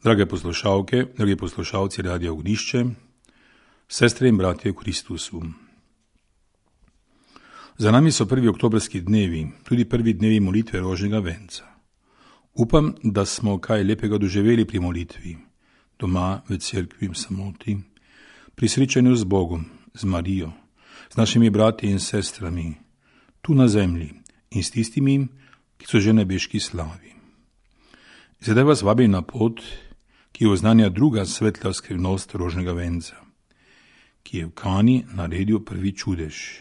Drage poslušalke, dragi poslušalci Radia Ognišče, sestre in bratje v Kristusu. Za nami so prvi oktobrski dnevi, tudi prvi dnevi molitve rožnega venca. Upam, da smo kaj lepega doživeli pri molitvi, doma, v cerkvi, v samoti, pri srečanju z Bogom, z Marijo, z našimi brati in sestrami, tu na zemlji in s tistimi, ki so že na nebeški slavi. Zdaj vas vabim na pot, ki oznanja druga svetla skrivnost rožnega venca, ki je v Kani naredil prvi čudež.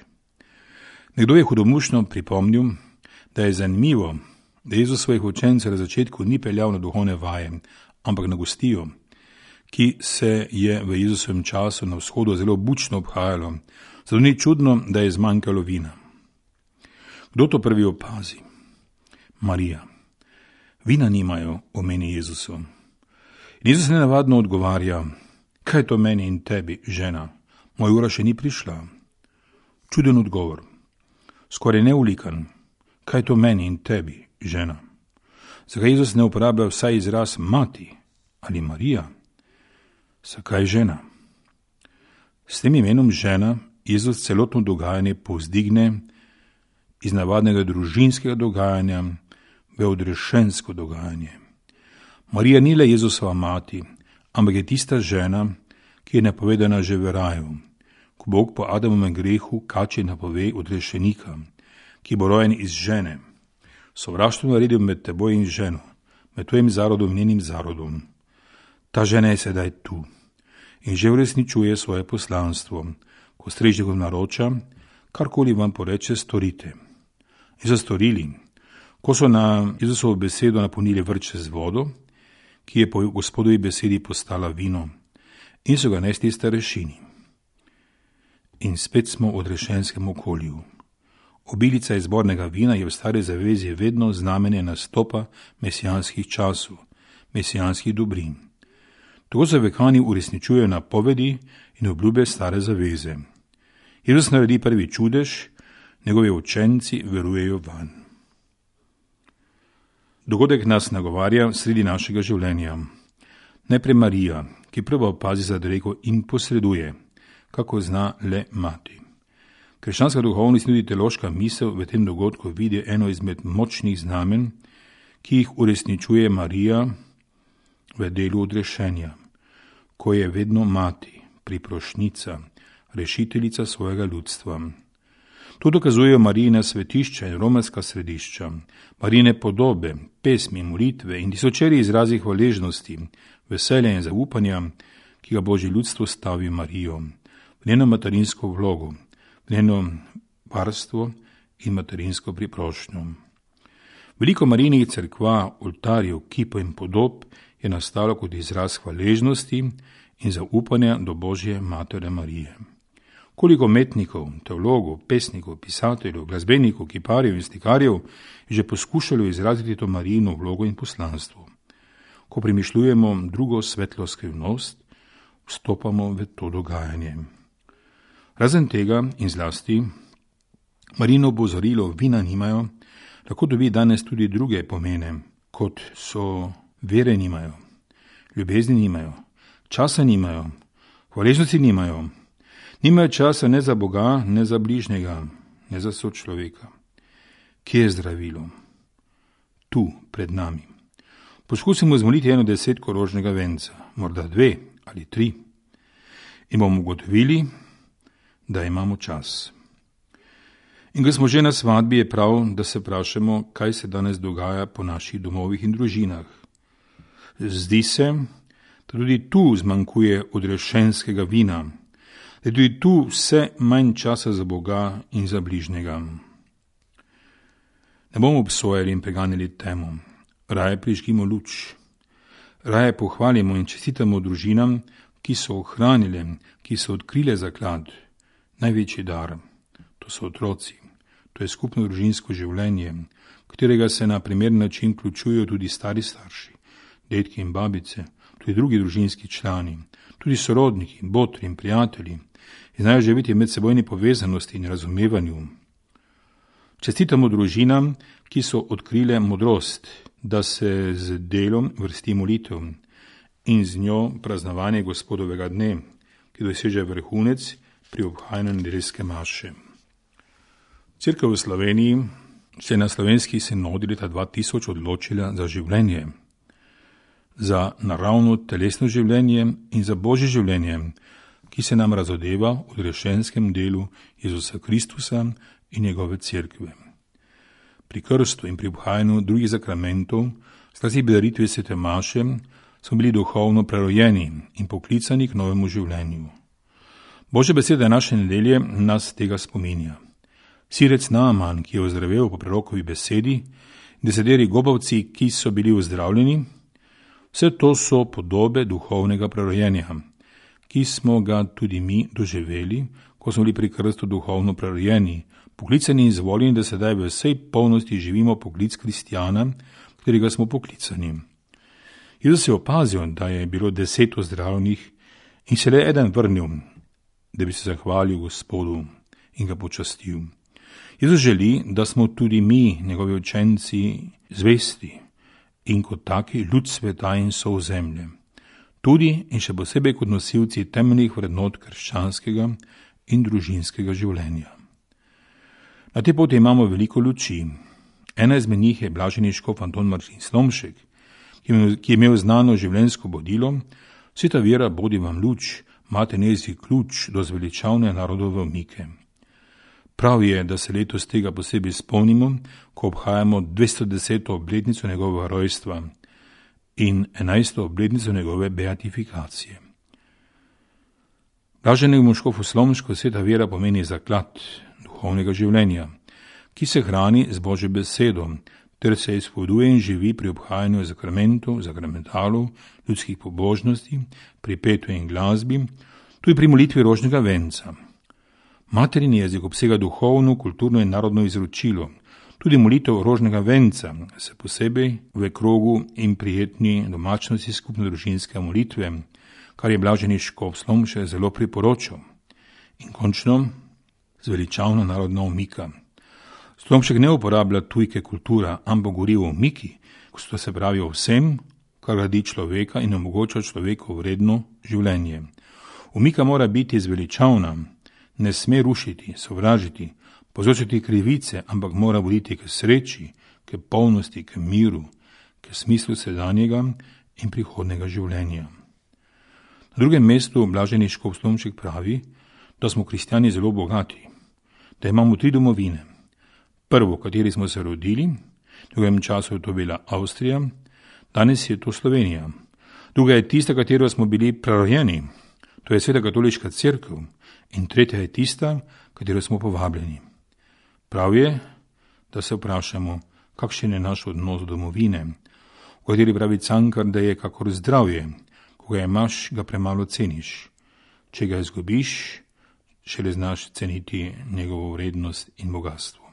Nekdo je hudomušno pripomnil, da je zanimivo, da Jezus svojih učencev na začetku ni peljal na duhovne vaje, ampak na gostijo, ki se je v Jezusovem času na vzhodu zelo bučno obhajalo, zato ni čudno, da je zmanjkalo vina. Kdo to prvi opazi? Marija. Vina nimajo, omeni Jezusu. Jezus nenavadno odgovarja, kaj je to meni in tebi, žena, moja ura še ni prišla. Čuden odgovor, skoraj neulikan, kaj je to meni in tebi, žena. Zakaj Jezus ne uporablja vsaj izraz mati ali Marija? Zakaj žena? S tem imenom žena Jezus celotno dogajanje povzdigne iz navadnega družinskega dogajanja v odrešensko dogajanje. Marija ni le Jezusova mati, ampak je tista žena, ki je napovedana že v raju, ko Bog po Adamovem grehu kači napove odrešenika, ki bo rojen iz žene. Sovraštvo naredil med teboj in ženo, med tvojim zarodom in njenim zarodom. Ta žena je sedaj tu in že uresničuje svoje poslanstvo, ko strežnikom naroča, karkoli vam poreče, storite. In so storili, ko so na Jezusovo besedo napolnili vrče z vodo, ki je po Gospodovi besedi postala vino, in so ga nesli starešini. In spet smo v odrešenskem okolju. Obilica izbornega vina je v stari zavezi vedno znamenje nastopa mesijanskih časov, mesijanskih dobrin. Tako se v Kani uresničujejo napovedi in obljube stare zaveze. Jezus naredi prvi čudež, njegovi učenci verujejo vanj. Dogodek nas nagovarja sredi našega življenja. Najprej Marija, ki prva opazi zadrego in posreduje, kako zna le mati. Krščanska duhovnost in tudi teološka misel v tem dogodku vidi eno izmed močnih znamen, ki jih uresničuje Marija v delu odrešenja, ko je vedno mati, priprošnica, rešiteljica svojega ljudstva. To dokazujejo Marijina svetišča in romarska središča, Marijine podobe, pesmi, molitve in tisočeri izrazi hvaležnosti, veselja in zaupanja, ki ga Božje ljudstvo stavi Marijo, v njeno materinsko vlogo, v njeno varstvo in materinsko priprošnjo. Veliko Marijinih cerkva, oltarjev, kipov in podob je nastalo kot izraz hvaležnosti in zaupanja do Božje matere Marije. Koliko umetnikov, teologov, pesnikov, pisateljev, glasbenikov, kiparjev in slikarjev je že poskušalo izraziti to Marijino vlogo in poslanstvo. Ko premišljujemo drugo svetlo skrivnost, vstopamo v to dogajanje. Razen tega in zlasti, Marijino opozorilo vina nimajo, lahko dobi danes tudi druge pomene, kot so vere nimajo, ljubezni nimajo, časa nimajo, hvaležnosti nimajo. Nimajo časa ne za Boga, ne za bližnjega, ne za sočloveka. Kje je zdravilo? Tu, pred nami. Poskusimo zmoliti 10 rožnega venca, morda 2 ali 3, in bomo ugotovili, da imamo čas. In ko smo že na svadbi, je prav, da se vprašamo, kaj se danes dogaja po naših domovih in družinah. Zdi se, da tudi tu zmanjkuje odrešenskega vina, da je tudi tu vse manj časa za Boga in za bližnjega. Ne bomo obsojali in preganjali temu, raje prižgimo luč, raje pohvalimo in čestitamo družinam, ki so ohranile, ki so odkrile zaklad, največji dar, to so otroci, to je skupno družinsko življenje, katerega se na primeren način vključujejo tudi stari starši, dedki in babice, tudi drugi družinski člani, tudi sorodniki, botri in prijatelji, in znajo živeti v medsebojni povezanosti in razumevanju. Čestitamo družinam, ki so odkrile modrost, da se z delom vrsti molitev in z njo praznovanje Gospodovega dne, ki doseže vrhunec pri obhajanju nedeljske maše. Cerkev v Sloveniji se je na slovenski sinodi leta 2000 odločila za življenje, za naravno telesno življenje in za božje življenje, ki se nam razodeva v odrešenskem delu Jezusa Kristusa in njegove cerkve. Pri krstu in pri obhajanju drugih sakramentov, zlasti pri daritvi svete maše, smo bili duhovno prerojeni in poklicani k novemu življenju. Božja beseda naše nedelje nas tega spominja. Sirec Naaman, ki je ozdravel po prorokovi besedi, in deseteri gobavci, ki so bili ozdravljeni, vse to so podobe duhovnega prerojenja, ki smo ga tudi mi doživeli, ko smo bili pri krstu duhovno prerojeni, poklicani in izvoljeni, da sedaj v vsej polnosti živimo poklic kristjana, katerega smo poklicani. Jezus je opazil, da je bilo 10 ozdravljenih in se le eden vrnil, da bi se zahvalil Gospodu in ga počastil. Jezus želi, da smo tudi mi, njegovi učenci, zvesti in kot taki ljud sveta in sol zemlje. Tudi in še posebej kot nosilci temeljnih vrednot krščanskega in družinskega življenja. Na tej poti imamo veliko luči. Ena izmed njih je blaženi škof Anton Martin Slomšek, ki je imel znano življenjsko bodilo: Sveta vera bodi vam luč, imate nezi ključ do zveličavne narodove omike. Prav je, da se letos tega posebej spomnimo, ko obhajamo 210. obletnico njegovega rojstva in 11. obletnico njegove beatifikacije. Blaženemu škofu Slomšku sveta vera pomeni zaklad duhovnega življenja, ki se hrani z Božjo besedo, ter se izpoduje in živi pri obhajanju sakramentov, sakramentalov, ljudskih pobožnosti, pri petju in glasbi, tudi pri molitvi rožnega venca. Materin jezik obsega duhovno, kulturno in narodno izročilo. Tudi molitev rožnega venca se posebej v krogu in prijetni domačnosti skupne družinske molitve, kar je blaženi škof Slomšek zelo priporočal. In končno zveličavna narodna omika. Slomšek ne uporablja tujke kultura, ampak govori o omiki, ko se pravi o vsem, kar gradi človeka in omogoča človeku vredno življenje. Omika mora biti zveličavna, ne sme rušiti, sovražiti, povzročiti krivice, ampak mora voditi k sreči, k polnosti, k miru, k smislu sedanjega in prihodnega življenja. Na drugem mestu blaženi škof Slomšek pravi, da smo kristjani zelo bogati, da imamo 3 domovine. Prvo, v kateri smo se rodili, v drugem času je to bila Avstrija, danes je to Slovenija. Druga je tista, katero smo bili prerojeni, to je Sveta katoliška cerkev, in tretja je tista, katero smo povabljeni. Prav je, da se vprašamo, kakšen je naš odnos do domovine, v kateri pravi Cankar, da je kakor zdravje, ko ga imaš, ga premalo ceniš. Če ga izgubiš, šele znaš ceniti njegovo vrednost in bogatstvo.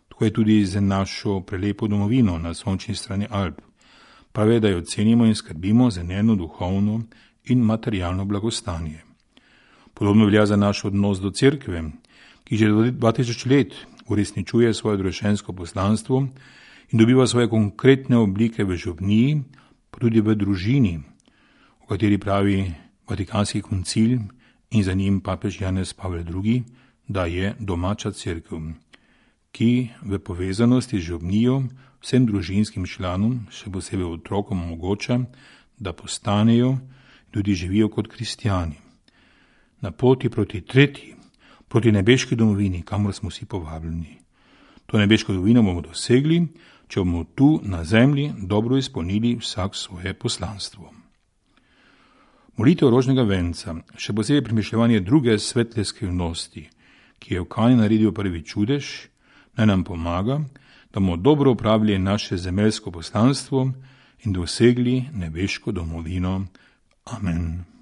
Tako je tudi za našo prelepo domovino na sončni strani Alp. Prav je, da jo cenimo in skrbimo za njeno duhovno in materialno blagostanje. Podobno velja za naš odnos do cerkve, ki že 2000 let uresničuje svoje odrešensko poslanstvo in dobiva svoje konkretne oblike v župniji, pa tudi v družini, o kateri pravi Vatikanski koncil in za njim papež Janez Pavel II, da je domača cerkev, ki v povezanosti z župnijo vsem družinskim članom, še posebej otrokom, omogoča, da postanejo in tudi živijo kot kristjani. Na poti proti tretji, proti nebeški domovini, kamor smo vsi povabljeni. To nebeško domovino bomo dosegli, če bomo tu na zemlji dobro izpolnili vsak svoje poslanstvo. Molitev rožnega venca, še posebej premišljevanje druge svetle skrivnosti, ki je v Kani naredil prvi čudež, naj nam pomaga, da bomo dobro upravili naše zemeljsko poslanstvo in dosegli nebeško domovino. Amen.